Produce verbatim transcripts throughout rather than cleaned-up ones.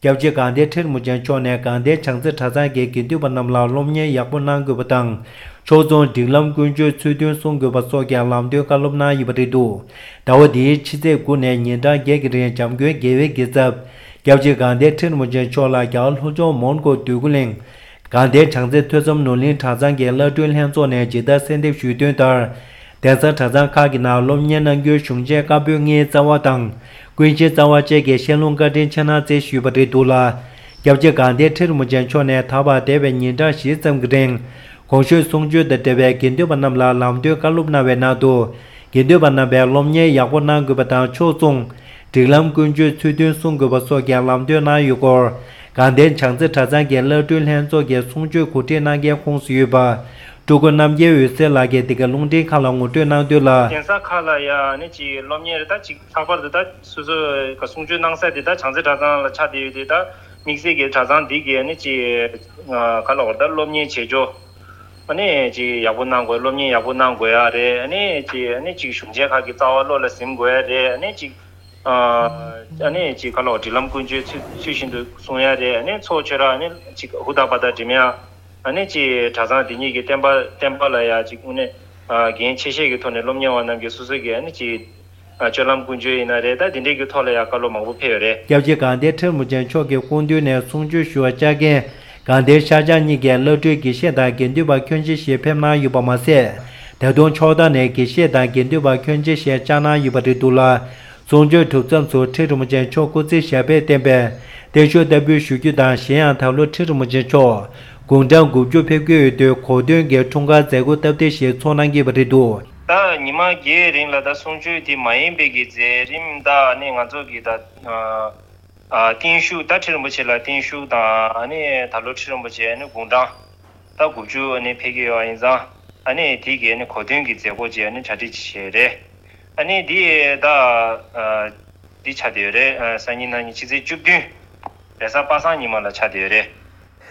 སྐྱབས་རྗེ་དགའ་ལྡན་ཁྲི་རིན་པོ་ཆེ་མཆོག་ནས་དགའ་ལྡན་བྱང་རྩེ་གྲྭ་ཚང་གི་དགེ་འདུན་པ་རྣམས་ལ་སློབ་གཉེར་ཡག་པོ་གནང་དགོས་པ་དང་། ཕྱོགས་མཚུངས་སྒྲིག་ལམ་ཀུན་སྤྱོད་ཚུལ་མཐུན་སྲུང་དགོས་པ་སོགས་ཀྱི་ལམ་སྟོན་བཀའ་སློབ་གནང་ཡོད་པ་རེད་འདུག་ཟླ་བ་འདིའི་ཕྱི་ཚེས་དགུ་ནས་ཉིན་གྲངས་བརྒྱད་ཀྱི་རིང་འཇམ་མགོན་རྒྱལ་བའི་རྒྱལ་ཚབ་སྐྱབས་རྗེ་དགའ་ལྡན་ཁྲི་རིན་པོ་ཆེ་མཆོག་ལ་རྒྱ་གར་ལྷོ་ཕྱོགས་མོན་གྷོ་འདོད་རྒུ་གླིང་དགའ་ལྡན་བྱང་རྩེ་ཐོས་བསམ་ནོར་གླིང་གྲྭ་ཚང་གི་བླ་སྤྲུལ་ལྷན་ཚོགས་ནས་ཇི་ལྟར་གསལ་འདེབས་ཞུས་དོན་ལྟར། གདན་ས་གྲྭ་ཚང་ཁག་གི་ནང་སློབ་གཉེར་གནང་རྒྱུའི་གཞུང་ཆེན་བཀའ་པོད་ལྔའི་རྩ་བ་དང་། ཀུན་མཁྱེན་རྩ་བ་བཅས་ཀྱི་བཤད་ལུང་བཀའ་དྲིན་ཆེ་གནང་སྩལ་ཞུས་པ་རེད་འདུག་ལ། སྐྱབས་རྗེ་དགའ་ལྡན་ཁྲི་རིན་པོ་ཆེ་མཆོག་ནས་ད་བར་འདས་པའི་ཉིན་གྲངས་བཞི་ཙམ་གྱི་རིང་། གོང་ཞུས་གསུང་ཆོས་དང་འབྲེལ་བའི་དགེ་འདུན་པ་རྣམས་ལ་ལམ་སྟོན་བཀའ་སློབ་གནང་བའི་ནང་དུ། དགེ་འདུན་པ་རྣམ་པས་སློབ་གཉེར་ཡག་པོ་གནང་དགོས་པ་དང་ཕྱོགས་མཚུངས། སྒྲིག་ལམ་ཀུན་སྤྱོད་ཚུལ་མཐུན་སྲུང་དགོས་པ་སོགས་ཀྱི་ལམ་སྟོན་གནང་ཡོད་སྐོར། དགའ་ལྡན་བྱང་རྩེ་གྲྭ་ཚང་གི་བླ་སྤྲུལ་ལྷན་ཚོགས་ཀྱི་གསུང་ཆོས་གོ་སྒྲིག་གནང་མཁན་ཁོངས་སུ་ཡོད་པ། སྤྲུལ་སྐུ་རྣམ་རྒྱལ་འོད་ཟེར་ལགས་ཀྱིས་འདི་གའི་རླུང་འཕྲིན་ཁང་ལ་ངོ་སྤྲོད་གནང་དོན་ལ། གདན་ས་ཁག་ལ་ཡང་ནི་ཅིག་སློབ་གཉེར་ད་ཅིག་ལྷག་པར་དུ་ད་སོ་སོ་ག་གསུང་ཆོས་གནང་ས་དེ་ད་བྱང་རྩེ་གྲྭ་ཚང་ལ་ཆགས་བསྡད་ཡོད་དེ། ད་དམིགས་བསལ་གྱི་གྲྭ་ཚང་འདི་གའི་ནི་ཅིག་ག་ལ་བར་ད་སློབ་གཉེར་བྱེད་ཕྱོགས་ཨ་ནི་ཅིག་ཡག་པོ་གནང་དགོས། སློབ་གཉེར་ཡག་པོ་གནང་དགོས་ཡ་རེད། ཨ་ནི་ཅིག་ཨ་ནི་ཅིག་གཞུང་ཆེན་ཁག་གི་རྩ་བ་བློ་ལ་ཟིན་དགོས་ཡ་རེད། ཨ་ནི་ཅིག་ཨ་ནི་ཅིག་ག་ལ་བར་སྒྲིག་ལམ་ཀུན་སྤྱོད་ཚུལ་ཚུལ་བཞིན་དུ་སྲུང་ཡ་རེད། ཨ་ནི་ཚོགས་ཆོས་ར་ཨ་ནི་ཅིག་ཧུར་ཐག་པ་ཐག་འགྲིམ་ཡ། ཨ་ནི་ཅིག་གྲྭ་ཚང་འདི་ཉིད་ཀྱི་བསྟན་པ་བསྟན་པ་ལ་ཡ་ཅིག་དངོས་གནས་འགན་ཆེ་བཞེས་ཀྱི་ཐོག་ནས་སློབ་གཉེར་བ་རྣམས་ཀྱིས་སོ་སོ་གི་ཨ་ནི་ཅིག་སྤྱོད་ལམ་ཀུན་སྤྱོད་ཡིན་ན་རེད། ད་འདི་འདྲའི་གི་ཐོག་ལ་ཡ་བཀའ་སློབ་མང་པོ་ཕེབས་ཡོད་རེད། སྐྱབས་རྗེ་དགའ་ལྡན་ཁྲི་རིན་པོ་ཆེ་མཆོག་གི་སྐུ་མདུན་ནས་གསུང་ཆོས་ཞུ་བར་བཅར་མཁན་དགའ་ལྡན་ཤར་བྱང་གཉིས་ཀའི་བླ་སྤྲུལ་དགེ་བཤེས་དང་དགེ་འདུན་པ་ཁྱོན་ཆེ་ཞིག་ཕེབས་གནང་ཡོད་པ་མ་ཟད། ད་དུང་ཕྱོགས་མཐའ་ནས་དགེ་བཤེས་དང་དགེ་འདུན་པ་ཁྱོན་ཆེ་ཞིག་བཅར་གནང་ཡོད་པ་རེད་འདུག་ལ། གསུང་ཆོས་གྲུབ་མཚམས་སུ་ཁྲི་རིན་པོ་ཆེ་མཆོག་སྐུ་ཚེ་ཞབས་པད་བརྟན་པའི་བརྟན་བཞུགས་བསྟར་འབུལ་ཞུ་རྒྱུ་དང་། གཞན་ཡང་ད་ལོ་ཁྲི་རིན་པོ་ཆེ་མཆོག་དགུང་གྲངས་དགུ་བཅུ་ཕེབས་ཀྱི་ཡོད་དུས་གོ་སྟོན་གྱི་འཁྲུངས་སྐར་མཛད་སྒོ་སྟབས་བདེ་ཞིག་ཚོགས་གནང་གི་ཡོད་པ་རེད་འདུག་ད་ཉི་མ་བརྒྱད་རིང་ལ་ད་གསུང་ཆོས་དེ་མ་ཡིན་པའི་གི་མཛད་རིམ་ད་ནི་ང་ཚོ་གི་ད་ཨ་ཨ་བརྟན་བཞུགས་ད་ཁྲི་རིན་པོ་ཆེ་ལ་བརྟན་བཞུགས་དང་། ཨ་ནི་ད་ལོ་ཁྲི་རིན་པོ་ཆེ་ཨ་ནི་དགུང་གྲངས་ད་དགུ་བཅུ་ཨ་ནི་ཕེབས་ཀྱི་ཡོད་པ་ཡིན་ཙང་། ཨ་ནི་དེ་གི་ཨ་ནི་གོ་སྟོན་གྱི་མཛད་སྒོ་ཅིག་ཨ་ནི་གྲ་སྒྲིག་བྱས་རེད། ཨ་ནི་འདི་ད་ཨ་འདི་ཆགས་བསྡད་ཡོད་རེད། ཨ་སང་ཉིན་གནངས་ཉིན་ཕྱི་ཚེས་བཅུ་བདུན་རེས་གཟའ་པ་སངས་ཉི་མ་ལ་ཆགས་བསྡད་ཡོད་རེད།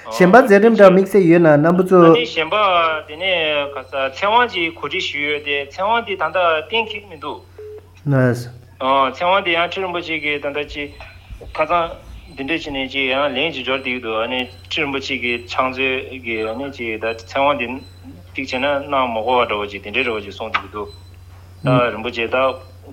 གཞན་པ་མཛད་རིམ་འདྲ་དམིགས་བསལ་ཡོད་ན་རྣམ་པ་ཚོ། ཨ་ནི་གཞན་པ་དེ་ནས་ག་ས་ཚེ་དབང་གི་གོ་སྒྲིག་ཞུས་ཡོད་དེ། ཚེ་དབང་དེ་ད་ལྟ་གཏན་འཁེལ་མི་འདུག་ཨ་ཚེ་དབང་དེ་ཡང་ཁྲི་རིན་པོ་ཆེ་གིས་ད་ལྟ་ཅིག་ཁ་སང་འདི་འདྲ་བྱས་ནས་ཅིག་ཡང་ལན་ཅིག་འབྱོར་བསྡད་ཀྱི་འདུག་ཨ་ནི་ཁྲི་རིན་པོ་ཆེ་གིས་ཕྱག་མཛོད་ཀྱིས་ཨ་ནི་ཅིག་ད་ཚེ་དབང་དེ་ཅིག་བྱས་ན་གནང་མ་དགོས་པ་འདྲ་བོ་ཅིག་དེ་འདྲའི་འདྲ་བོ་ཅིག་གསུངས་བསྡད་ཀྱི་འདུག་ད་རིན་པོ་ཆེ་ད་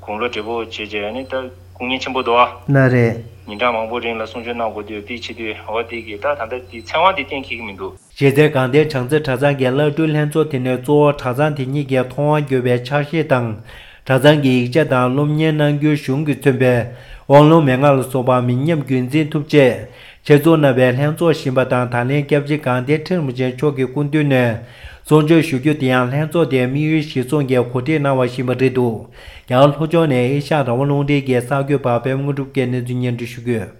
དགུང་ལོ་བགྲེས་པོ་བྱས་བྱས་ཨ་ནི་ད་སྐུ་ངལ་ཆེན་པོ་འདུག་ཨ། ན་རེད། ཉིན་གྲངས་མང་པོ་རིང་ལ་གསུང་ཆོས་གནང་དགོས་དུས་དེ་བྱེད་དུས་འོ་དེ་གིས་ད་ད་ལྟ་དེ་ཚེ་དབང་དེ་གཏན་འཁེལ་གྱི་མི་འདུག་གཞི་རྩའི་དགའ་ལྡན་བྱང་རྩེ་གྲྭ་ཚང་གི་བླ་སྤྲུལ་ལྷན་ཚོགས་དེ་ནས་གཙོ་བོ་གྲྭ་ཚང་དེ་ཉིད་ཀྱི་ཐོག་དབང་བསྒྱུར་བའི་ཕྱག་བཞེས་དང་། གྲྭ་ཚང་གི་ཡིག་ཆ་དང་སློབ་གཉེར་གནང་རྒྱུའི་གཞུང་གིས་མཚོན་པའི་དབང་ལུང་མན་ངག་ལ་སོགས་པ་མི་ཉམས་རྒྱུན་འཛིན་ཐུབ་ཆེད་ཆེད་འཛུགས་གནང་བའི་ལྷན་ཚོགས་བཞིན་པ་དང་། ད་ལན་སྐྱབས་རྗེ་དགའ་ལྡན་ཁྲི་རིན་པོ་ཆེ་མཆོག་གི་སྐུ་མདུན་ནས་གསུང་ཆོས་ཞུ་རྒྱུ་དེ་ཡང་ལྷན་ཚོགས་དེའི་དམིགས་ཡུལ་གཞིར་བཟུང་གིས་གོ་སྒྲིག་གནང་བ་ཞིག་ཡིན་པ་རེད་འདུག་རྒྱ་གར་ལྷོ་ཕྱོགས་ནས་ཨེ་ཤ་ཡ་རང་དབང་རླུང་འཕྲིན་གྱི་གསར་འགོད་པ་པད་མ་དངོས་གྲུབ་ཀྱིས་གནས་ཚུལ་སྙན་སྒྲོན་ཞུ་གི་ཡོད།